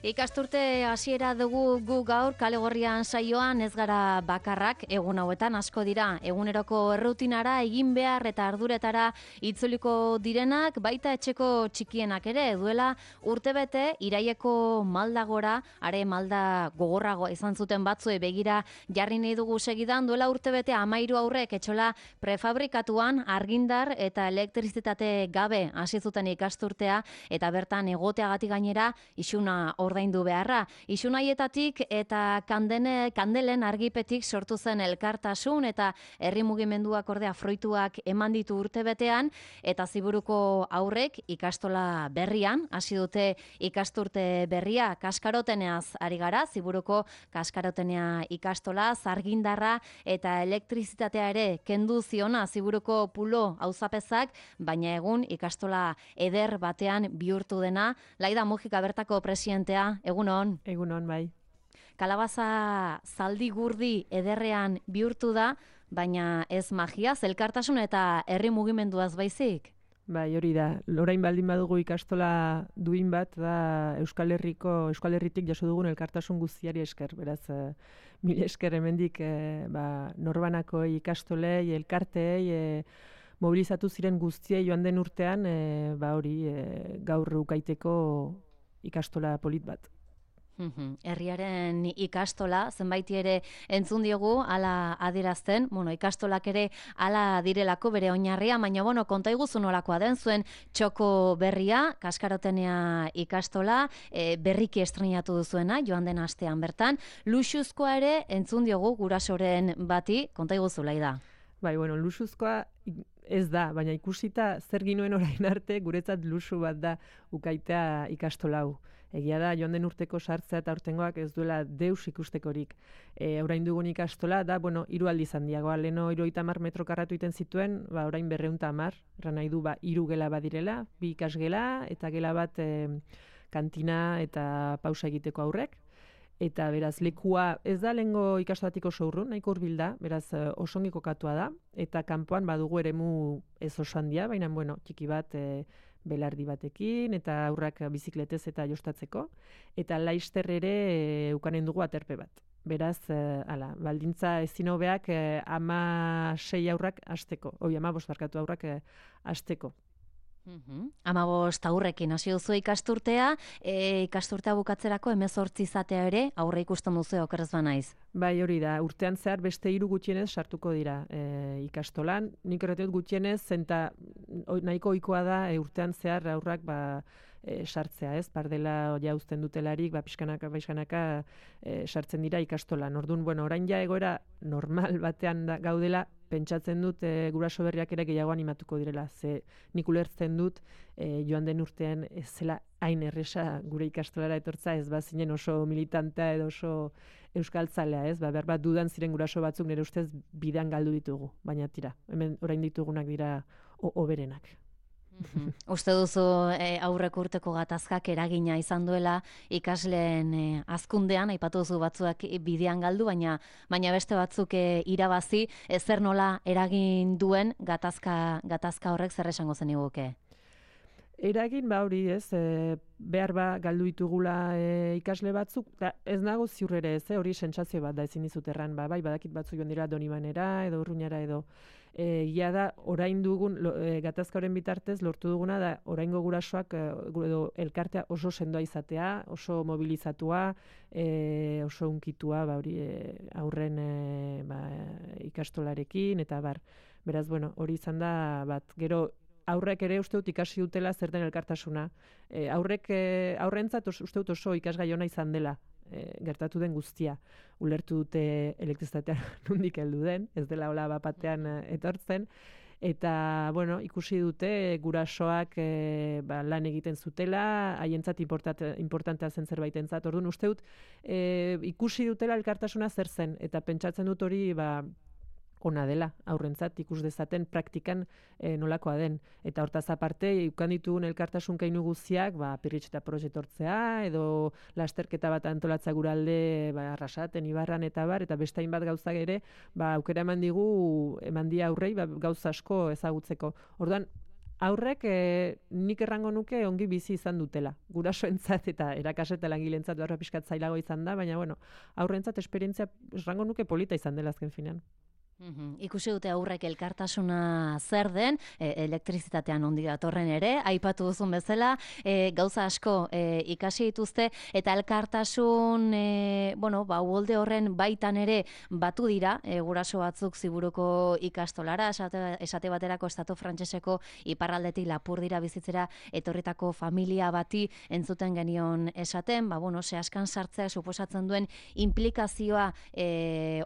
Ikasturte hasiera dugu gu gaur Kalegorrian saioan ez gara bakarrak, egun hauetan asko dira, eguneroko errutinara egin behar eta arduretara itzuliko direnak, baita etxeko txikienak ere, duela urtebete iraieko maldagora, are malda gogorrago izan zuten batzue begira jarri nahi dugu segidan, duela urtebete 13 aurrek etxola prefabrikatuan argindar eta elektrizitate gabe hasi zuten ikasturtea eta bertan egoteagatik gainera isuna ordaindu beharra. Isun haietatik eta kandelen argipetik sortu zen elkartasun eta herri mugimenduak ordea fruituak eman ditu urtebetean eta Ziburuko aurrek ikastola berrian hasi dute ikasturte berria Kaskaroteneaz ari gara, Ziburuko Kaskarotenea ikastola, argindarra eta elektrizitatea ere kendu ziona Ziburuko pulo auzapezak, baina egun ikastola eder batean bihurtu dena. Laida Mujika bertako presidentea, egunon. Egunon, bai. Kalabaza zaldi gurdi ederrean bihurtu da, baina ez magiaz, elkartasun eta herri mugimenduaz baizik? Bai, hori da. Orain baldin badugu ikastola duin bat da Euskal Herritik jaso dugun elkartasun guztiari esker. Beraz, mil esker hemendik norbanako ikastolei, elkarteei, mobilizatu ziren guztiei joan den urtean, gaur ukaiteko ikastola polit bat. Herriaren ikastola, zenbaiti ere entzun diogu, ala adierazten, ikastolak ere ala direlako bere oinarria, baina konta iguzu nolakoa den zuen txoko berria, Kaskarotenea ikastola, berriki estrenatu duzuena, joan den astean bertan, luxuzkoa ere entzun diogu gurasoren bati, konta iguzu Laida. Bai, luxuzkoa ez da, baina ikusita zer ginuen orain arte, guretzat luxu bat da ukaitea ikastola hau. Egia da, joan den urteko sartzea eta urtengoak ez duela deus ikustekorik. Orain dugun ikastola da, 3 aldiz handiagoa. Leno 70 metro karratu iten zituen, orain 210, erran nahi du 3 gela badirela, 2 ikasgela eta gela bat kantina eta pausa egiteko aurrek. Eta beraz, lekua ez da lehengo ikastolatiko oso urrun, nahiko hurbil da, beraz oso ongi kokatua da, eta kanpoan badugu eremu ez oso handia, baina txiki bat belardi batekin, eta aurrak bizikletez eta jostatzeko, eta laister ere ukanen dugu aterpe bat. Beraz, baldintza ezin hobeak 16 aurrak hasteko, 15 barkatu aurrak hasteko. 15 aurrekin hasi duzu ikasturtea, ikasturtea bukatzerako 18 izatea ere aurre ikusten duzu okerrez banaiz. Bai, hori da, urtean zehar beste 3 gutxienez sartuko dira ikastolan. Nik erreteot gutxienez, zenta nahiko ohikoa da urtean zehar aurrak sartzea, ez? Pardela ja uzten dutelarik, pixkanaka sartzen dira ikastolan. Orduan, orain ja egoera normal batean gaudela, pentsatzen dut guraso berriak ere gehiago animatuko direla. Ze nik ulertzen dut joan den urtean ez zela hain erresa gure ikastolara etortza, ez bazinen oso militantea edo oso euskaltzalea, ez? Behar bat dudan ziren guraso batzuk nire ustez bidean galdu ditugu, baina tira, hemen orain ditugunak dira oberenak. Uste duzu aurreko urteko gatazkak eragina izan duela ikasleen hazkundean, aipatu duzu batzuak bidean galdu, baina beste batzuk irabazi, zer nola eragin duen gatazka horrek zer esango zeniguke? Eragin hori ez, behar galdu ditugula ikasle batzuk, ez nago ziur ere ez, hori sentsazio bat da ezin dizut erran, bai badakit batzuk joan dira Donibanera edo Urruñara edo. Ia da, orain dugun, gatazka horren bitartez, lortu duguna da, oraingo gurasoak edo elkartea oso sendoa izatea, oso mobilizatua, oso unkitua, aurren ikastolarekin, eta beraz, hori izan da, gero, aurrek ere uste dut ikasi dutela zer den elkartasuna. Aurrentzat uste dut oso ikasgai ona izan dela gertatu den guztia. Ulertu dute elektrizitatea nondik heldu den, ez dela hola bapatean etortzen. Eta, ikusi dute gurasoak lan egiten zutela, haientzat importantea zen zerbaitentzat. Orduan, uste dut ikusi dutela elkartasuna zer zen, eta pentsatzen dut hori ona dela, aurrentzat ikus dezaten praktikan nolakoa den. Eta hortaz aparte, ikan ditugun elkartasun keinu guztiak, Pirritx eta Prox etortzea, edo lasterketa bat antolatza guralde Arrasaten, Ibarran eta eta beste hainbat gauzak ere, aukera eman dia aurrei gauza asko ezagutzeko. Orduan, aurrek nik errango nuke ongi bizi izan dutela. Gurasoentzat eta erakasle eta langilentzat behar pixkat zailago izan da, baina aurrentzat esperientzia errango nuke polita izan dela azken finean. Ikusi dute aurrek elkartasuna zer den, elektrizitatean ondi datorren ere, aipatu duzun bezala, gauza asko ikasi dituzte, eta elkartasun, uholde horren baitan ere batu dira, guraso batzuk Ziburuko ikastolara, esate baterako estatu frantseseko iparraldetik Lapurdira bizitzera etorritako familia bati entzuten genion esaten, zehaskan sartzea suposatzen duen implikazioa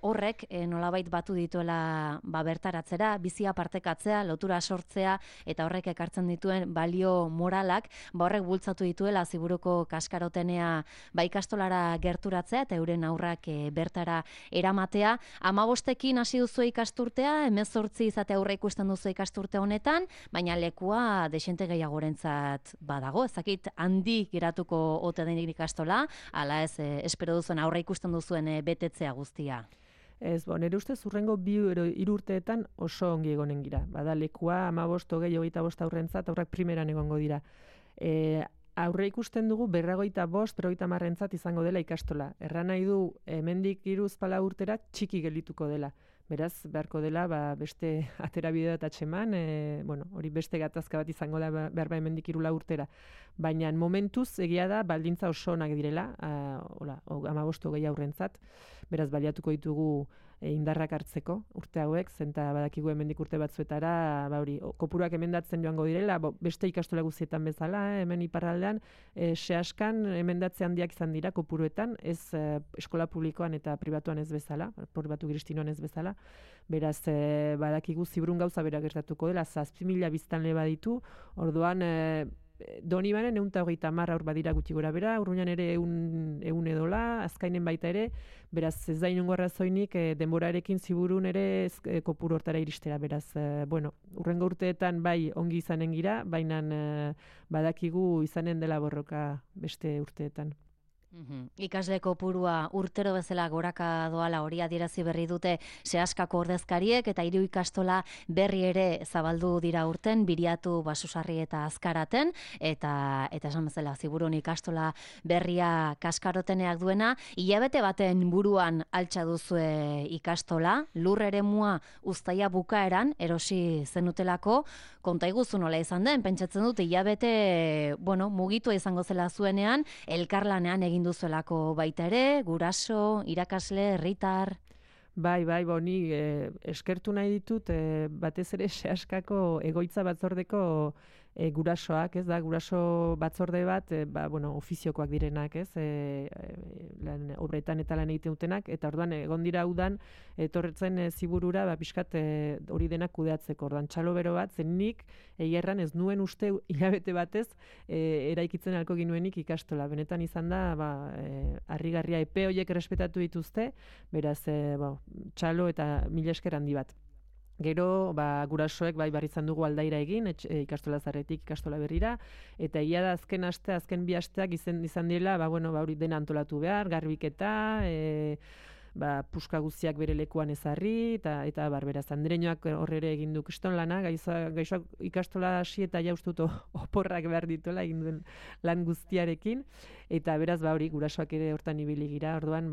horrek nolabait batu ditu bertaratzera, bizia partekatzea, lotura sortzea eta horrek ekartzen dituen balio moralak, horrek bultzatu dituela Ziburuko kaskarotenea ikastolara gerturatzea eta euren aurrak bertara eramatea. 15ekin hasi duzu ikasturtea, 18 izate aurre ikusten duzu ikasturte honetan, baina lekua desente gehiagorentzat badago, ezakit handi geratuko ote den ikastola, ala ez espero duzuen aurre ikusten duzuen betetzea guztia. Ez, nire ustez urrengo 2-3 urteetan oso ongi egonen gira. Bada lekua 15, 20, 25 aurrentzat, aurrak primeran egongo dira. Aurre ikusten dugu 45, 50 izango dela ikastola. Erran nahi du, hemendik 3-4 urtera txiki gelituko dela. Beraz, beharko dela, beste aterabidea eta txeman, hori beste gatazka bat izango da behar hemendik 3-4 urtera. Baina momentuz egia da baldintza oso onak direla, 15 gehi aurrentzat, beraz baliatuko ditugu indarrak hartzeko urte hauek, zenta badakigu hemendik urte batzuetara, kopuruak emendatzen joango direla, beste ikastola guztietan bezala, hemen iparraldean, sehaskan emendatze handiak izan dira kopuruetan, ez eskola publikoan eta pribatuan ez bezala, pribatu kristinoan ez bezala, beraz badakigu Ziburun gauza bera gertatuko dela, 7.000 biztanle baditu, orduan Donibanen 130 aur badira gutxi gora bera, Urruñan ere 100 edola, Azkainen baita ere, beraz ez da inongo arrazoinik denborarekin Ziburun ere kopuru hortara iristera, beraz, urrengo urteetan bai ongi izanen gira, baina badakigu izanen dela borroka beste urteetan. Ikasle kopurua urtero bezala goraka doala hori adierazi berri dute Sehaskako ordezkariek eta 3 ikastola berri ere zabaldu dira urten, Biriatu, Basusarri eta Azkaraten, eta esan bezala Ziburun ikastola berria kaskaroteneak duena, hilabete baten buruan altxa duzue ikastola, lur eremua uztaia bukaeran erosi zenutelako, konta iguzu nola izan den, pentsatzen dut hilabete mugitua izango zela zuenean, elkarlanean egin duzuelako baita ere, guraso, irakasle, herritar. Bai, ni eskertu nahi ditut batez ere Sehaskako egoitza batzordeko gurasoak, ez da, guraso batzorde bat, ofiziokoak direnak, ez, obretan eta lan egiten dutenak, eta orduan egon dira udan, etorretzen Ziburura, pixkat hori denak kudeatzeko, orduan txalo bero bat, zen nik, erran ez nuen uste hilabete batez, eraikitzen alko ginuenik ikastola, benetan izan da, harrigarria epe horiek errespetatu dituzte, beraz, txalo eta mila esker handi bat. Gero, gurasoek barri izan dugu aldaira egin, ikastola zarretik ikastola berrira, eta egia da azken 2 asteak izan direla, hori dena antolatu behar, garbiketa, puska guztiak bere lekuan ezarri, eta beraz, Andreñoak horre egin du kriston lana, gaixoak ikastola hasi eta jaustut oporrak behar dituela egin duen lan guztiarekin, eta beraz, hori gurasoak ere hortan ibili gira, orduan,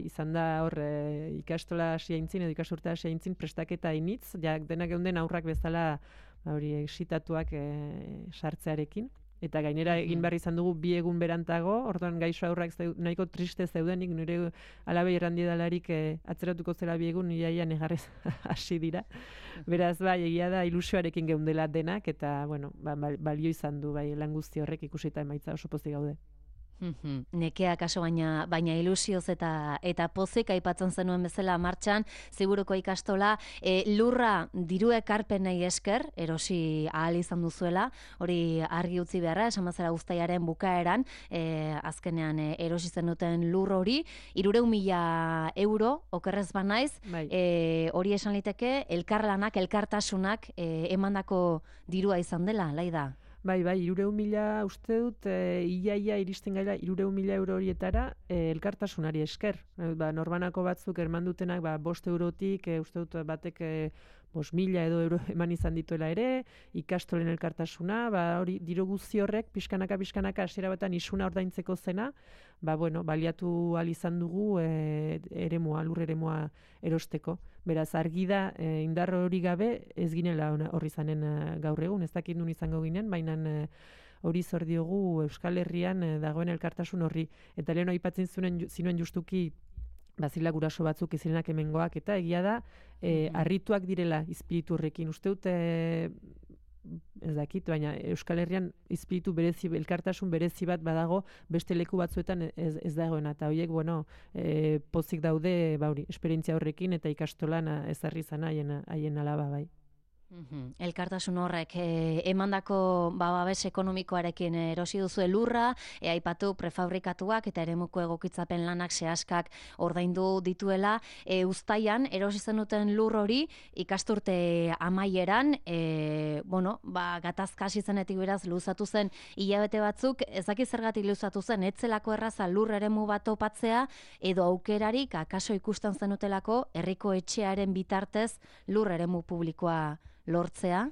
izan da hor ikastola hasi aintzin, edo ikasurta hasi aintzin prestaketa initz, denak geunden aurrak bezala, hori exitatuak sartzearekin. Eta gainera egin behar izan dugu 2 egun berantago, orduan gaixo aurrak nahiko triste zeudenik, nire alabei errandidalarik atzeratuko zela 2 egun, iaia negarrez hasi dira. Beraz, egia da ilusioarekin geundela denak, eta balio izan du lan guzti horrek ikusita emaitza oso pozik gaude. Nekea kaso baina ilusioz eta pozik aipatzen zenuen bezala martxan, Ziburuko ikastola, lurra diru ekarpenei esker, erosi ahal izan duzuela, hori argi utzi beharra, esan bazara uztaiaren bukaeran, azkenean erosi zenuten lur hori, 300.000 euro, okerrez banaiz, hori esan liteke, elkarlanak, elkartasunak emandako dirua izan dela, Laida? Bai, 300.000 uste dut, iaia iristen gaila 300.000 euro horietara elkartasunari esker. Norbanako batzuk erman dutenak 5 eurotik, uste dut batek 5.000 edo euro eman izan dituela ere, ikastolen elkartasuna, hori diru guzti horrek pixkanaka hasiera batean isuna ordaintzeko zena, baliatu ahal izan dugu lur eremua erosteko. Beraz, argi da, indar hori gabe ez ginela horri izanen gaur egun, ez dakit nun izango ginen, baina hori zor diogu Euskal Herrian dagoen elkartasun horri. Eta lehen aipatzen zinuen justuki bazila guraso batzuk izirenak hemengoak, eta egia da, harrituak direla izpiritu horrekin. Uste dut, ez dakit, baina Euskal Herrian izpiritu berezi, elkartasun berezi bat badago beste leku batzuetan ez dagoena. Eta horiek, pozik daude, esperientzia horrekin eta ikastolan ezarri zan haien alaba, bai. Elkartasun horrek emandako babes ekonomikoarekin erosi duzu lurra, aipatu prefabrikatuak eta eremuko egokitzapen lanak sehaskak ordaindu dituela. Uztaian erosi zenuten lur hori ikasturte amaieran, gatazka hasi zenetik beraz luzatu zen hilabete batzuk, ez dakit zergatik luzatu zen, etzelako erraza lur eremu bat topatzea edo aukerarik akaso ikusten zenutelako herriko etxearen bitartez lur eremu publikoa lortzea,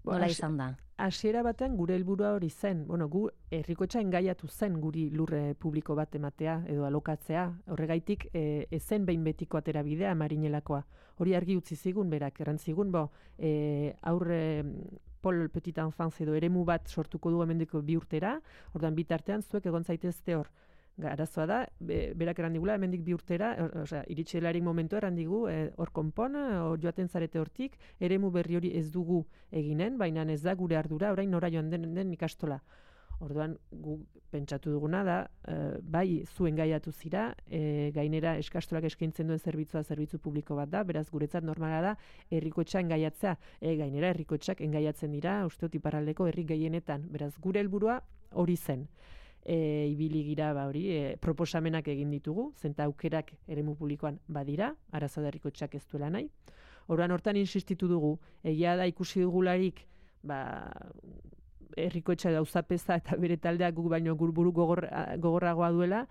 nola izan da? Hasiera batean gure helburua hori zen. Gu herriko etxea engaiatu zen guri lurre publiko bat ematea edo alokatzea. Horregaitik ezen behin betiko atera bidea Marinelakoa. Hori argi utzi zigun berak, errantzigun, aurre Pol Petit Enfance edo eremu bat sortuko du hemendiko 2 urtera, ordan bitartean zuek egon zaitezte hor. Arazoa da, berak errandigula, hemendik 2 urtera, iritsi delarik momentu errandigu, hor konpon, joaten zarete hortik, eremu berri hori ez dugu eginen, baina ez da gure ardura, orain nora joan den ikastola. Orduan, gu pentsatu duguna da, bai zuen gaiatu zira, gainera eskastolak eskaintzen duen zerbitzu publiko bat da, beraz guretzat normala da, herrikotxa engaiatzea, gainera herrikotxak engaiatzen dira, uste dut iparraldeko herri gehienetan, beraz gure helburua hori zen. Ibili gira proposamenak egin ditugu, zenta aukerak eremu publikoan badira, arazo da herrikotxak ez duela nahi. Orduan hortan insistitu dugu, egia da ikusi dugularik, herrikotxa dauzapeza eta bere taldeak guk baino buru gogorragoa duela,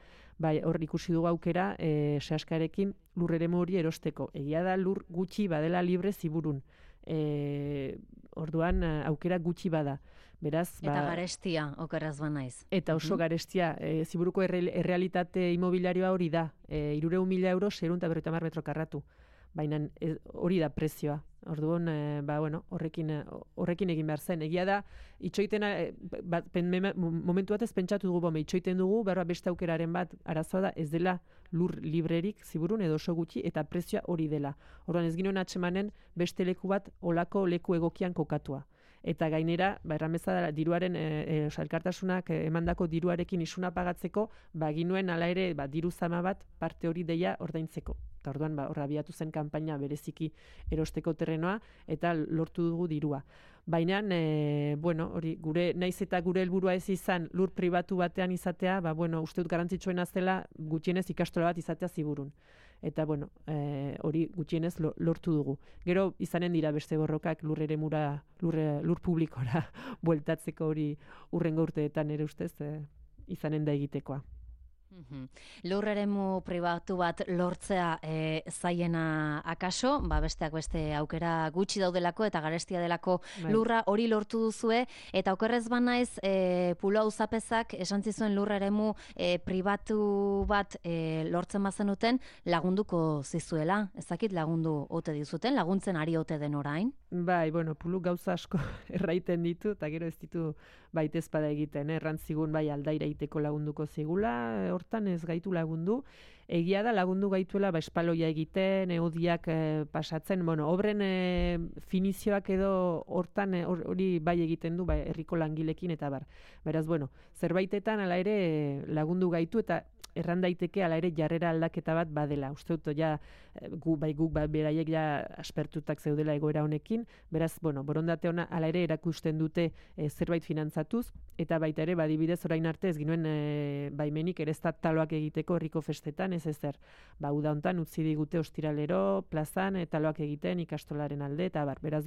hor ikusi dugu aukera sehaskarekin lur eremu hori erosteko. Egia da lur gutxi badela libre ziburun. Orduan aukera gutxi bada. Beraz, eta garestia, okeraz banaiz. Eta oso garestia, ziburuko errealitate imobiliarioa hori da, 300.000 euro 650 metro karratu. Baina hori da prezioa. Orduan, horrekin egin behar zen. Egia da, itxoiten, momentu batez pentsatu dugu, itxoiten dugu, beste aukeraren bat, arazoa da, ez dela lur librerik ziburun edo oso gutxi, eta prezioa hori dela. Orduan, ez ginoen atxemanen beste leku bat olako leku egokian kokatua. Eta gainera, errameza da, diruaren, elkartasunak emandako diruarekin isuna pagatzeko, ginuen ala ere diru zama bat parte hori deia ordaintzeko. Eta orduan, hor abiatu zen kanpaina bereziki erosteko terrenoa, eta lortu dugu dirua. Baina, hori, naiz eta gure helburua ez izan lur pribatu batean izatea, uste dut garrantzitsuena zela gutxienez ikastola bat izatea ziburun. Eta, hori gutxienez lortu dugu. Gero, izanen dira beste borrokak lur eremura, lur publikora bueltatzeko hori urrengo urteetan ere ustez izanen da egitekoa. Lur eremu pribatu bat lortzea zaiena akaso, besteak beste aukera gutxi daudelako eta garestia delako lurra hori lortu duzue, eta okerrez banaiz Pulo Auzapezak esan zizuen lur eremu pribatu bat lortzen bazenuten lagunduko zizuela, ezakit lagundu ote dizuten, laguntzen ari ote den orain? Bai, Puluk gauza asko erraiten ditu, eta gero ez ditu baitezpada egiten, errantzigun aldaira egiteko lagunduko zigula, hortan ez gaitu lagundu. Egia da lagundu gaituela espaloia egiten, eodiak pasatzen, obren finizioak edo hortan hori bai egiten du herriko langilekin eta bar. Beraz, zerbaitetan ala ere lagundu gaitu eta erran daiteke ala ere jarrera aldaketa bat badela. Uste dut, guk beraiek aspertutak zeudela egoera honekin, beraz, borondate ona ala ere erakusten dute zerbait finantzatuz, eta baita ere, badibidez orain arte ez ginuen baimenik ere taloak egiteko herriko festetan, ez ezer. Uda hontan utzi digute ostiralero, plazan, taloak egiten ikastolaren alde, eta bar. Beraz,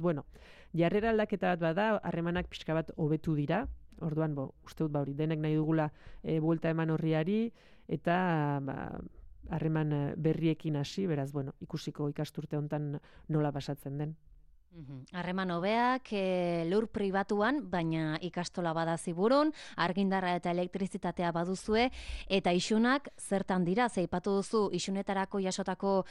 jarrera aldaketa bat bada, harremanak pixka bat hobetu dira, orduan, uste dut, hori denek nahi dugula buelta eman horriari, eta harreman berriekin hasi, beraz, ikusiko ikasturte hontan nola pasatzen den. Harreman hobeak lur pribatuan, baina ikastola bada ziburun, argindarra eta elektrizitatea baduzue, eta isunak zertan dira, zeipatu duzu isunetarako jasotako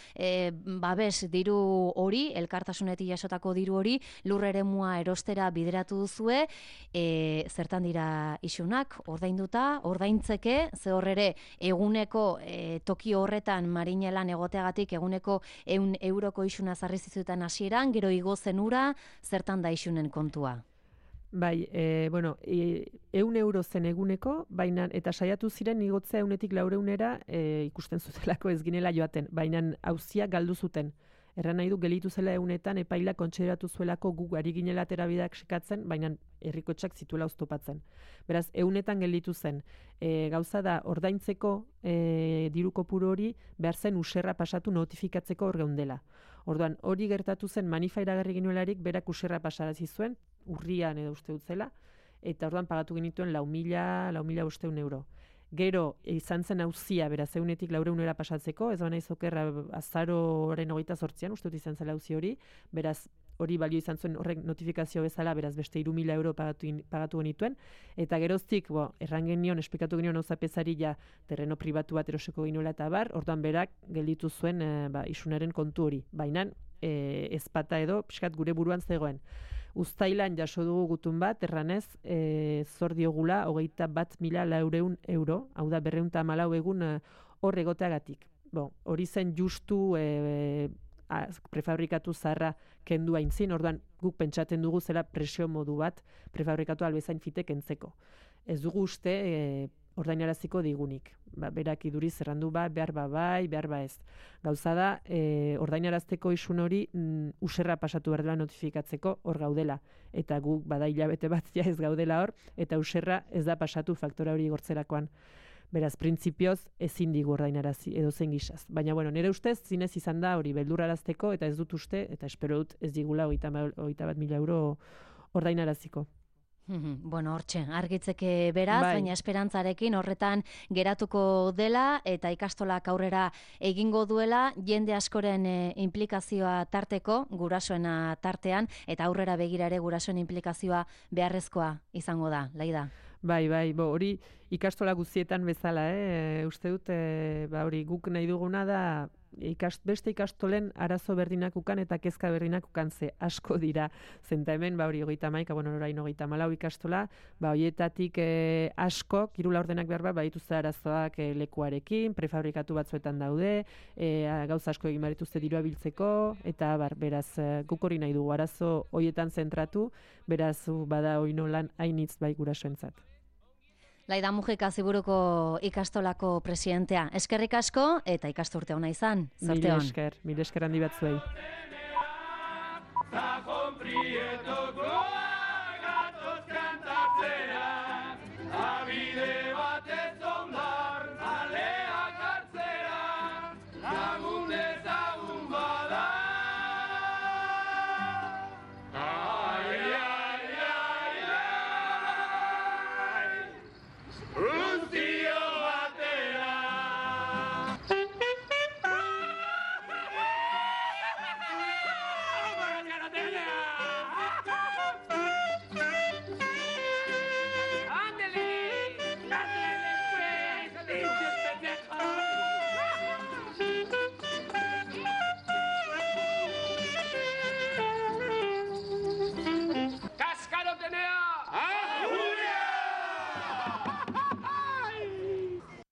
babes diru hori, elkartasunetik jasotako diru hori, lur eremua erostera bideratu duzue, zertan dira isunak, ordainduta, ordaintzeke, ze horrere eguneko toki horretan marinelan egoteagatik eguneko 100 euroko isuna zarri zizuetan hasieran, gero igo zenura, zertan da isunen kontua? Bai, 100 euro zen eguneko, baina eta saiatu ziren igotzea 100-tik 400era ikusten zutelako ez ginela joaten, baina auzia galdu zuten. Erran nahi du gelitu zela 100etan epaila kontsideratu zuelako gu ari ginela terabideak sekatzen, baina herrikotxak zituela oztopatzen. Beraz, 100etan gelditu zen. Gauza da, ordaintzeko diru kopuru hori behar zen userra pasatu notifikatzeko hor geundela. Orduan, hori gertatu zen manifa iragarri ginuelarik berak userra pasarazi zuen, urrian edo uste dutzela, eta orduan pagatu genituen 4.500 euro. Gero, izan zen auzia, beraz, 100-tik 400era pasatzeko, ez baina izokerra azaroaren 28an, uste dut izan zela auzi hori, beraz, hori balio izan zuen horrek notifikazio bezala, beraz, beste 3.000 euro pagatu genituen, eta geroztik, erran genion, esplikatu genion auzapezari ja terreno pribatu bat eroseko ginuela eta bar, orduan berak gelditu zuen isunaren kontu hori, baina ezpata edo, pixkat gure buruan zegoen. Uztailan jaso dugu gutun bat, erranez, zor diogula 21.400 euro, hau da 214 egun hor egoteagatik. Hori zen justu prefabrikatu zaharra kendu aintzin, orduan guk pentsaten dugu zela presio modu bat prefabrikatu albezain fitek entzeko. Ez dugu uste ordainaraziko digunik. Berak iduriz errandu behar bai, behar ez. Gauza da, ordainarazteko isun hori userra pasatu behar dela notifikatzeko hor gaudela. Eta guk bada hilabete bat ja ez gaudela hor, eta userra ez da pasatu faktora hori igortzerakoan. Beraz, printzipioz ezin digu ordainarazi edo zen gisaz. Baina, nire ustez, zinez izan da hori beldurrarazteko, eta ez dut uste, eta espero dut ez digula 21.000 euro ordainaraziko. Hortxe, argitzeke beraz, baina esperantzarekin horretan geratuko dela eta ikastolak aurrera egingo duela, jende askoren implikazioa tarteko, gurasoena tartean, eta aurrera begira ere gurasoen implikazioa beharrezkoa izango da, Laida. Bai, hori ikastola guztietan bezala, uste dut, hori guk nahi duguna da, beste ikastolen arazo berdinak ukan eta kezka berdinak ukan ze asko dira. Zenta hemen, hori 31, orain 34 ikastola, horietatik asko, kirula ordenak behar dituzte arazoak lekuarekin, prefabrikatu batzuetan daude, gauza asko egin barituzte dirua biltzeko, eta beraz, guk hori nahi dugu arazo horietan zentratu, beraz, bada hori nolan hainitz bai gurasoentzat. Laida Mujika Ziburuko ikastolako presidentea. Eskerrik asko eta ikasturte ona izan. Zorte on. Mil esker handi bat zuei.